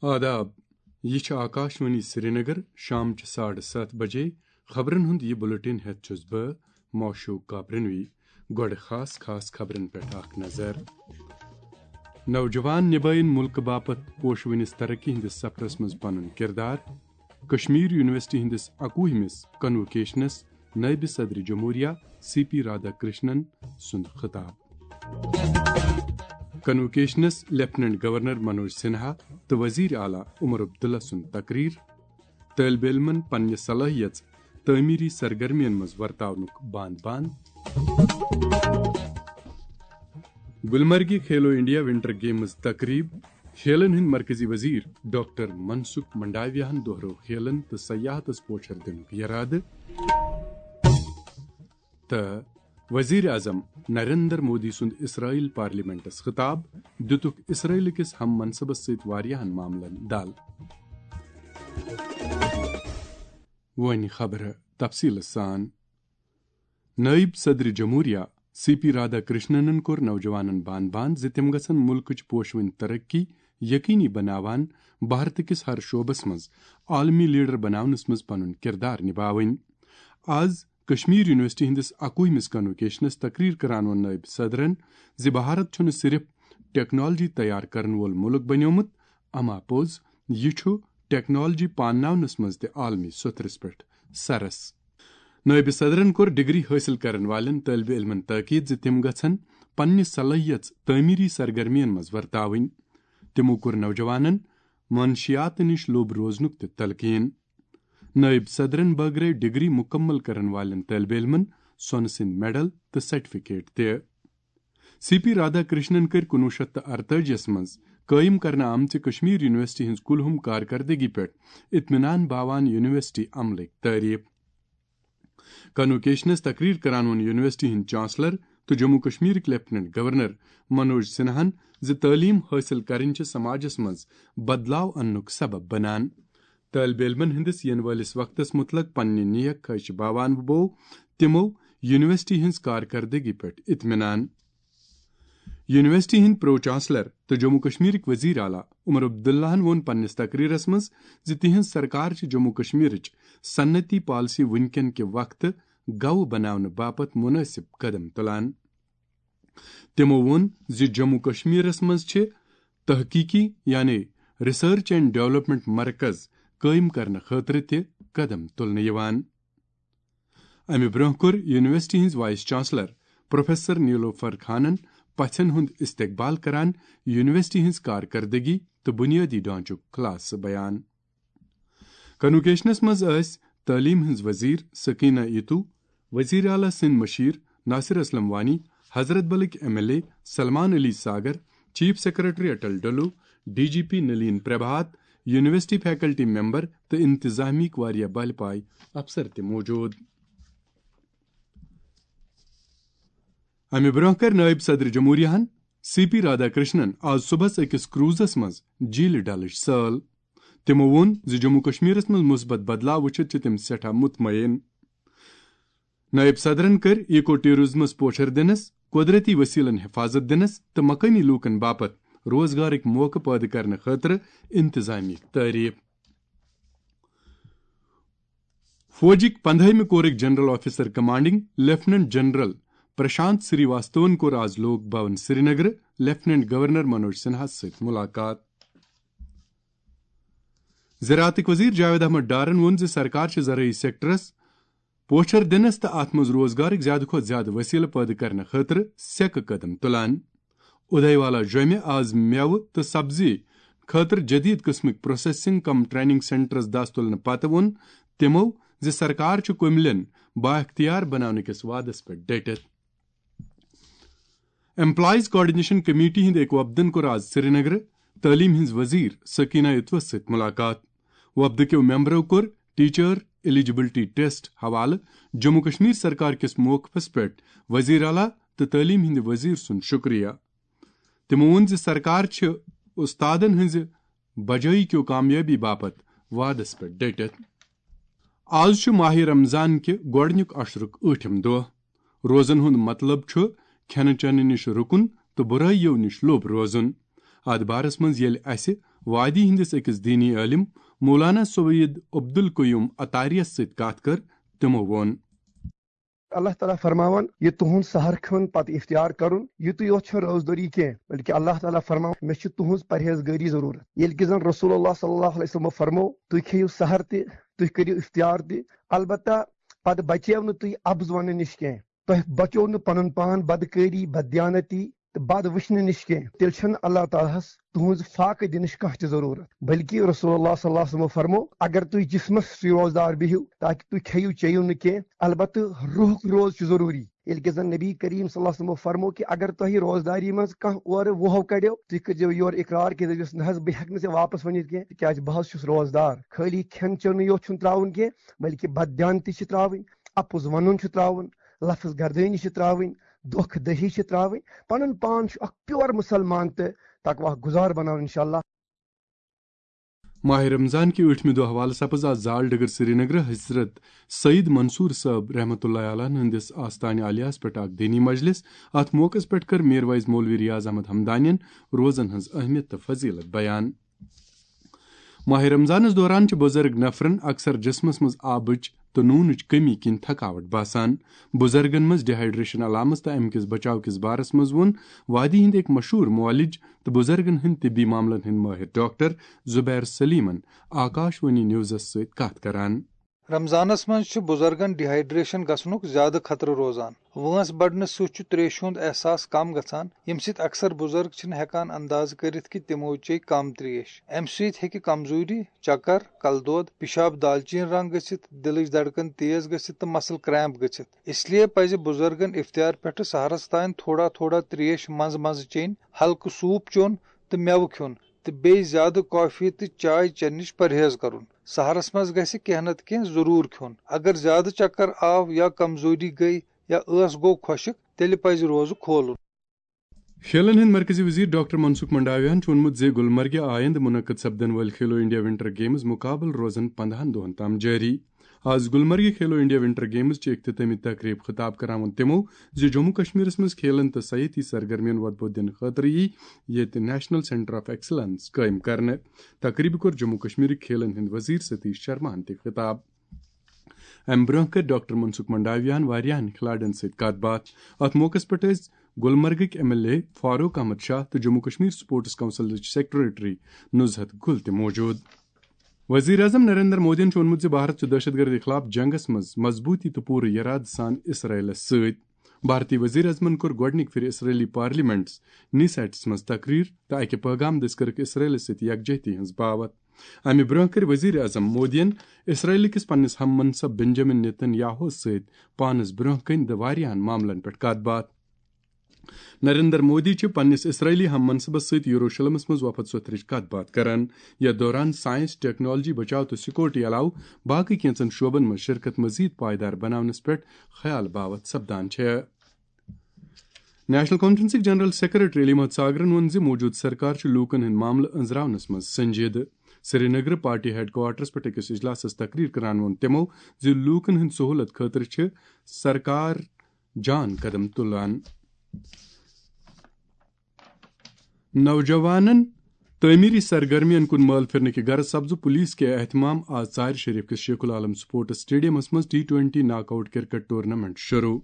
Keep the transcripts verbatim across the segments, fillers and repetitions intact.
آداب، یہِ چھِ آکاشوانی سرینگر، شامچہِ ساڑٕ ستھ بجے۔ خبرن ہُنٛد یہِ بُلٹن ہٮ۪تھ چھُس بہٕ، موشوق کاپرنوی۔ گۄڈٕ خاص خاص خبرن پٮ۪ٹھ اکھ نظر۔ نوجوان نبٲیِن مُلکہٕ باپتھ پوشوٕنِس ترقی ہٕنٛدِس سفرس منٛز پنُن کردار۔ کشمیر یونیورسٹی ہٕنٛدِس اَکوُہمِس کنووکیشنس نٲیِب صدر جمہوریہ سی پی رادھا کرشنن سُنٛد خطاب۔ کنووکیشنس لیفٹیننٹ گورنر منوج سنہا تہٕ وزیر اعلیٰ عمر عبداللہ سُنٛد تقریر۔ طٲلبہِ علمن پننہِ صلٲحیژ تعمیری سرگرمین منٛز ورتاونُک بان بان۔ گلمرگہِ کھیلو انڈیا ونٹر گیمز تقریب۔ کھیلن ہٕنٛدۍ مرکزی وزیر ڈاکٹر منسکھ منڈاویاہن دۄہرٲو کھیلن تہٕ سیاحتس پوچھر دِنُک یرادٕ۔ تہٕ وزیر اعظم نریندر مودی سُنٛد اسرائیل پارلیمنٹس خطاب، دِتُکھ اسرائیل کِس ہم منصبس سۭتۍ واریاہن معاملن دل۔ وۄنۍ خبرٕ تفصیٖلہٕ سان۔ نٲیِب صدر جمہوریہ سی پی رادھا کرشننن کوٚر نوجوانن بان بان زِ تِم گژھن مُلکٕچ پوشوٕنۍ ترقی یقینی بناوان بھارت کِس ہر شعبس منٛز عالمی لیڈر بناونس منٛز پنُن کردار نباوٕنۍ۔ آز کشمیر یونیورسٹی ہٕنٛدِس اَکوُہمِس کنووکیشنس تقریر کران ووٚن نٲیِب صدرن زِ بھارت چھُنہٕ صرف ٹیکنالوجی تیار کرن وول مُلک بنیومُت، اما پوٚز یہِ چھُ ٹیکنالوجی پانناونس منٛز تہِ عالمی سوٚتھرس پٮ۪ٹھ سرس۔ نٲیِب صدرن کوٚر ڈگری حٲصِل کرن والٮ۪ن طٲلبہِ علمن تٲکید زِ تِم گژھن پننہِ صلٲحیژ تعمیری سرگرمین منٛز ورتاوٕنۍ۔ تِمو کوٚر نوجوانن منشیات نِش لوٚب روزنُک تہِ تلقین۔ نٲیِب صدرن بٲگرٲوۍ ڈگری مُکمل کرن والٮ۪ن طٲلبہِ علمن سۄنہٕ سٕنٛدۍ میڈل تہٕ سرٹیفکیٹ تہِ۔ سی پی رادھا کرشنن کٔرۍ کُنوُہ شیٚتھ تہٕ ارتٲجی یس منٛز قٲیِم کرنہٕ آمژِ کشمیر یونیورسٹی ہٕنٛز کُلہُم کارکردگی پٮ۪ٹھ اطمینان باوان یونیورسٹی عملٕکۍ تعریف۔ کنووکیشنس تقریر کران ووٚن یونیورسٹی ہٕنٛدۍ چانسلر تہٕ جموں کشمیرٕکۍ لیفٹیننٹ گورنر منوج سنہاہن زِ تعلیٖم حٲصِل کرٕنۍ چھِ سماجس منٛز بدلاو اننُک سبب بنان۔ طٲلبہِ علمن ہٕنٛدِس یِنہٕ وٲلِس وقتس مُتعلق پننہِ نیک خواہش باوان بوو تِمو یونیورسٹی ہٕنٛز کارکردگی پٮ۪ٹھ اطمینان۔ یونیورسٹی ہٕنٛدۍ پرو چانسلر تہٕ جموں کشمیرٕکۍ وزیر اعلیٰ عمر عبداللہن ووٚن پننِس تقریرس منٛز زِ تِہنٛز سرکار چھِ جموں کشمیرٕچ صنعتی پالیسی وُنکٮ۪ن کہِ وقتہٕ گَوٕ بناونہٕ باپتھ مناسب قدم تُلان۔ تِمو ووٚن زِ جموں کشمیرس منٛز چھِ تحقیقی یعنی ریسرچ اینڈ ڈیولپمنٹ مرکز قٲیِم کرنہٕ خٲطرٕ تہِ قدم تُلنہٕ یِوان۔ امہِ برونٛہہ کوٚر یونیورسٹی ہٕنٛز وائس چانسلر پروفیسر نیلوفر خانن پژھن ہُنٛد استقبال کران یونیورسٹی ہٕنٛز کارکردگی تہٕ بنیٲدی ڈھانچُک خلاصہٕ بیان۔ کنووکیشنس منٛز ٲسۍ تعلیٖم ہٕنٛز وزیر سکینہ ایتو، وزیر اعلیٰ سٕنٛدۍ مشیر ناصر اسلم وانی، حضرت بلٕکۍ M L A Salman Ali Sagar, chief secretary Atal Dulloo, D G P Nalin Prabhat, university faculty member تہٕ انتظامیہٕکۍ واریاہ بلہِ پایہِ افسر تہِ موجود۔ امہِ برونٛہہ کٔر نٲیِب صدر جمہوریہن سی پی رادھا کرشنن آز صبحس أکِس کروزس منٛز جھیلہِ ڈلٕچ سٲل۔ تِمو ووٚن زِ جموں کشمیرس منٛز مثبت بدلاو وٕچھِتھ چھِ تِم سٮ۪ٹھاہ مطمئن۔ نٲیِب صدرن کٔرۍ ایکو ٹیورزمس پوچھر دِنس، قۄدرتی وسیلن حفاظت دِنس تہٕ مقٲمی لوٗکن باپتھ روزگارٕکۍ موقعہٕ پٲدٕ کرنہٕ خٲطرٕ انتظامیہٕکۍ تعریف۔ فوجٕکۍ پندہٲیمہِ کورٕکۍ general officer commanding lieutenant general Prashant سری واستون کوٚر آز لوک بھون سرینگرٕ لیفٹیننٹ گورنر منوج سنہاہس سۭتۍ ملاقات۔ زراعتٕکۍ وزیر جاوید احمد ڈارن ووٚن زِ سرکار چھِ زرعی سیکٹرس پوچھر دِنس تہٕ اتھ منٛز روزگارٕکۍ زیادٕ کھۄتہٕ زیادٕ وسیلہٕ پٲدٕ کرنہٕ خٲطرٕ سیٚکہٕ قدم تُلان۔ اُدھے والا جوٚمہِ آز مٮ۪وٕ تہٕ سبزی خٲطرٕ جدید قٕسمٕکۍ پروسیسنگ کم ٹریننگ سینٹرس دس تُلنہٕ پتہٕ ووٚن تِمو زِ سرکار چھُ کُملٮ۪ن بااختیار بناونہٕ کِس وعدس پٮ۪ٹھ ڈٔٹِتھ۔ ایمپلائز کوآرڈینیشن کمیٹی ہٕنٛدِ أکۍ وفدن کوٚر آز سرینگرٕ تعلیٖم ہٕنٛز وزیر سکینہ اتوس سۭتۍ ملاقات۔ وفدٕ کیو ممبرو کوٚر ٹیچر ایلیجیبلٹی ٹیسٹ حوالہٕ جموں کشمیر سرکار کِس موقفس پٮ۪ٹھ وزیر اعلیٰ تہٕ تعلیٖم ہٕنٛدِ وزیر سُنٛد شُکریہ۔ تِمو ووٚن زِ سرکار چھِ استادن ہٕنٛزِ بجٲیی کیو کامیٲبی باپتھ وعدس پٮ۪ٹھ ڈٔٹِتھ۔ آز چھُ ماہِ رمضان کہِ گۄڈٕنیُک عشرُک ٲٹھِم دۄہ۔ روزن ہُنٛد مطلب چھُ کھٮ۪نہٕ چٮ۪نہٕ نِش رُکُن تہٕ بُرٲیِو نِش لوٚب روزُن۔ اتھ بارس منٛز ییٚلہِ اسہِ وادی ہندس أکِس دینی عٲلم مولانا سید عبدالقیوم عطاریس سۭتۍ کتھ کٔر، تِمو ووٚن۔ اللہ تعالیٰ فرماوان، یہِ تُہُنٛد سحر کھیوٚن پتہٕ اِفطار کرُن، یُتُے یوت چھُنہٕ روزدٲری کینٛہہ، بلکہِ اللہ تعالیٰ فرماوان، مےٚ چھِ تُہٕنٛز پرہیزگٲری ضروٗرت۔ ییٚلہِ کہِ زن رسول اللہ صلی اللہ علیہ وسلمو فرمو، تُہۍ کھیٚیِو سحر تہِ، تُہۍ کٔرِو اِفطار تہِ، البتہ پتہٕ بچیو نہٕ تُہۍ اَبٕز وننہٕ نِش کینٛہہ۔ تۄہہِ بچیو نہٕ پنُن پان بدکٲری، بددیانتی تہٕ بد وٕچھنہٕ نِش کینٛہہ۔ تیٚلہِ چھُنہٕ اللہ تعالیٰ ہس تُہٕنٛز فاقہٕ دِنٕچ کانٛہہ تہِ ضروٗرت، بلکہِ رسول اللہ صلی اللہ علیہ وسلمو فرمو، اگر تُہۍ جسمس سۭتۍ روزدار بِہِو تاکہِ تُہۍ کھیٚیِو چیٚیِو نہٕ کینٛہہ، البتہٕ روحُک روز چھُ ضروٗری۔ ییٚلہِ کہِ زن نبی کریم صلی اللہ علیہ وسلمو فرمو کہِ اگر تۄہہِ روزداری منٛز کانٛہہ اورٕ وُہو کڑیو، تُہۍ کٔرۍزیو یورٕ اقرار کہِ دٔپۍزِس، نہ حظ، بہٕ ہٮ۪کہٕ نہٕ ژےٚ واپس ؤنِتھ کینٛہہ، تِکیازِ بہٕ حظ چھُس روزدار۔ خٲلی کھٮ۪ن چٮ۪نٕے یوت چھُنہٕ ترٛاوُن کینٛہہ، بلکہِ بددیانتی چھِ ترٛاوٕنۍ، اپُز ونُن چھُ ترٛاوُن، لفظ گردٲنی چھِ ترٛاوٕنۍ، دھوکہ دہی چھِ ترٛاوٕنۍ، پنُن پان چھُ اکھ پیور مسلمان تہٕ تقویٰ گُزار بناوُن انشاءاللہ۔ ماہ رمضان کہِ ٲٹھمہِ دۄہ حوالہٕ سپز آز زال ڈگر سرینگر حضرت سید منصور صٲب رحمتہ اللہ علیہ ہٕنٛدِس آستانہِ عالیہس پٮ۪ٹھ اکھ دینی مجلس۔ اتھ موقعس پٮ۪ٹھ کٔر میرویز مولوی ریاض احمد ہمدانین روزن ہٕنٛز اہمیت تہٕ فضیلت بیان۔ ماہ رمضانس دوران چھِ بُزرگ نفرن اکثر جسمس منٛز آبٕچ تہٕ نوٗنٕچ کمی کِنۍ تھکاوٹ باسان۔ بُزرگن منٛز ڈیہائیڈریشن علامژ تہٕ امہِ کِس بچاو کِس بارس منٛز ووٚن وادی ہٕنٛدۍ أکۍ مشہوٗر معالج تہٕ بُزرگن ہٕنٛدۍ طبی معاملن ہٕنٛدۍ مٲہِر ڈاکٹر زبیر سلیمن آکاش وانی نیوزس سۭتۍ کتھ کران۔ رمضانس منٛز چھُ بُزرگن ڈیہائیڈریشن گژھنُک زیادٕ خطرٕ روزان۔ وٲنٛس بڑنہٕ سۭتۍ چھُ تریشہِ ہُنٛد احساس کم گژھان، ییٚمہِ سۭتۍ اکثر بُزرگ چھِنہٕ ہٮ۪کان اندازٕ کٔرِتھ کہِ تِمو چیٚیہِ کم تریش۔ امہِ سۭتۍ ہیٚکہِ کمزوری، چکر، کلہٕ دود، پِشاب دالچیٖن رنٛگ گٔژھِتھ، دِلٕچ دھڑکن تیز گٔژھِتھ تہٕ مسل کریمپ گٔژھِتھ۔ اس لیے پزِ بُزرگن افطار پٮ۪ٹھٕ سحرس تام تھوڑا تھوڑا تریش منٛزٕ منٛزٕ چیٚنۍ، ہلکہٕ سوٗپ چیوٚن تہٕ مٮ۪وٕ کھیوٚن تہٕ بیٚیہِ زیادٕ کافی تہٕ چاے چٮ۪نہٕ نِش پرہیز کرُن۔ سحرس منٛز گژھِ کینٛہہ نتہٕ کینٛہہ ضروٗر کھیوٚن۔ اگر زیادٕ چکر آو یا کمزوری گٔے یا ٲس گوٚو خۄشک، تیٚلہِ پزِ روزٕ کھولُن۔ کھیلن ہٕنٛدۍ مرکزی وزیر ڈاکٹر منسکھ منڈاویاہن چھُ ووٚنمُت زِ گلمرگہِ آیندٕ منعقد سپدن وٲلۍ کھیلو انڈیا ونٹر گیمز مقابلہٕ روزن پندہن دۄہن تام جٲری۔ آز گلمرگہِ کھیلو انڈیا ونٹر گیمز چہِ اختتامی تقریب خطاب کران ووٚن تِمو زِ جموں کشمیرس منٛز کھیلن تہٕ سیٲحتی سرگرمین وۄدبو دِنہٕ خٲطرٕ یی ییٚتہِ نیشنل سینٹر آف ایکسلنس قٲیِم کرنہٕ۔ تقریبہِ کوٚر جموں کشمیرٕکۍ کھیلن ہٕنٛدۍ وزیر ستیش شرماہن تہِ خطاب۔ امہِ برونٛہہ کٔر ڈاکٹر منسکھ منڈاویاہن واریاہن کھلاڑین سۭتۍ کتھ باتھ۔ اتھ موقعس پٮ۪ٹھ ٲسۍ گلمرگٕکۍ M L A Farooq Ahmad Shah تہٕ جموں کشمیر سپورٹس کونسلٕچ سیکرٹری نزہت گل تہِ موجود۔ وزیر اعظم نریندر مودیَن چھُ ووٚنمُت زِ بھارت چھُ دہشت گردی خلاف جنگس منٛز مضبوٗطی تہٕ پوٗرٕ یرادٕ سان اسرائیلس سۭتۍ۔ بھارتی وزیر اعظمن کوٚر گۄڈٕنِکہِ پھِرِ اسرائیلی پارلیمنٹس نیسیٹس منٛز تقریر تہٕ اکہِ پٲغام دٔسۍ کٔرٕکھ اسرائیلس سۭتۍ یکجہتی ہٕنٛز باوتھ۔ امہِ برونٛہہ کٔر وزیر اعظم مودیَن اسرائیل کِس پننِس ہم منصب بنجامن نیتن یاہوس سۭتۍ پانس برونٛہہ کنہِ تہٕ واریاہن معاملن پٮ۪ٹھ کتھ باتھ۔ نریندر مودی چھِ پننِس اسرائیلی ہم منصبس سۭتۍ یروشلمس منٛز وفد سوٚتھرٕچ کتھ باتھ کران۔ یتھ دوران سائنس، ٹیکنالوجی، بچاو تہٕ سیکورٹی علاوٕ باقٕے کینٛژن شعبن منٛز شرکت مزید پائیدار بناونس پٮ۪ٹھ خیال باوتھ سپدان چھےٚ۔ نیشنل کانفرنسٕکۍ جنرل سیکرٹری علی محمد ساگرن ووٚن زِ موجودٕ سرکار چھِ لوٗکن ہٕنٛدۍ معاملہٕ أنٛزراونس منٛز سنجیدٕ۔ سرینگرٕ پارٹی ہیڈ کوارٹرس پٮ۪ٹھ أکِس اجلاسس تقریر کران ووٚن تِمو زِ لوٗکن ہٕنٛدِ سہوٗلت خٲطرٕ چھِ سرکار جان قدم تُلان۔ نوجوانن تعمیری سرگرمین کُن مٲل پھرنہٕ کہِ غرض سپزٕ پولیس کے اہتمام آز ژارِ شریف کِس شیخ العالم سپورٹس اسٹیڈیمس منٛز T twenty knock out cricket tournament شروع۔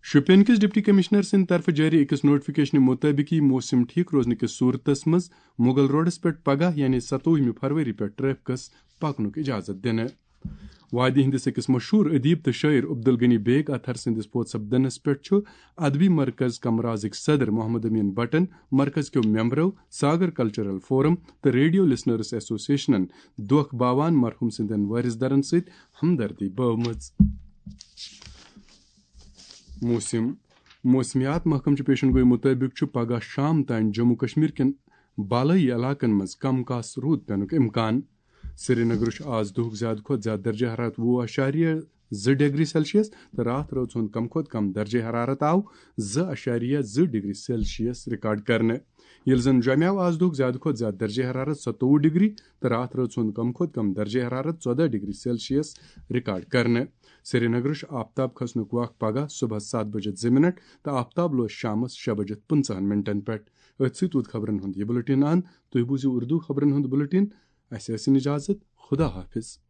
شوپین کِس ڈپٹی کمشنر سٕنٛدِ طرفہٕ جٲری أکِس نوٹیفکیشنہِ مُطٲبِق یِیہِ موسم ٹھیک روزنہٕ کِس صورتس منٛز مغل روڈس پٮ۪ٹھ پگاہ یعنی ستووُہمہِ فروری پٮ۪ٹھ ٹریفکس پکنُک اجازت دِنہٕ۔ وادی ہٕنٛدِس أکِس مشہوٗر ادیب تہٕ شٲعر عبدالغنی بیگ اطہر سٕنٛدِس فوت سپدنس پٮ۪ٹھ چھُ ادبی مرکز کمرازٕکۍ صدر محمد امین بٹن، مرکز کیو ممبرو، ساگر کلچرل فورم تہٕ ریڈیو لسنرز ایسوسیشنن دۄکھ باوان مرحوم سٕنٛدٮ۪ن وٲرث دارن سۭتۍ ہمدردی بٲومٕژ۔ موسم۔ موسمیات محکمہٕ چہِ پیشن گوئی مُطٲبِق چھُ پگہہ شام تام جموں کشمیر کٮ۪ن بالٲیی علاقن منٛز کم کاس روٗد پینُک امکان۔ سرینگرٕ چھُ آز دُہُک زیادٕ کھۄتہٕ زیادٕ درجہ حرارت وُہ اعشاریہ زٕ ڈگری سیلسیس تہٕ راتھ رٲژ ہُنٛد کم کھۄتہٕ کم درجہ حرارت آو زٕ اعشاریہ زٕ ڈگری سیلسیس ریکارڈ کرنہٕ۔ ییٚلہِ زن جوٚمیو آز دُہُک زیادٕ کھۄتہٕ زیادٕ درجہ حرارت ستووُہ ڈگری تہٕ راتھ رٲژ ہُنٛد کم کھۄتہٕ کم درجہ حرارت ژۄداہ ڈگری سیلسیس ریکارڈ کرنہٕ۔ سرینگرٕ چھُ آفتاب کھسنُک وق پگہہ صبحس ستھ بجے زٕ منٹ تہٕ آفتاب لوس شامس شےٚ بجے پٕنٛژٕہن منٹن پٮ۪ٹھ۔ أتھۍ سۭتۍ ووت خبرن ہُنٛد یہِ بُلٹن اند۔ تُہۍ بوٗزِو اردو خبرن ہُنٛد بُلٹن۔ اسہِ ٲسِن اجازت۔ خدا حافظ۔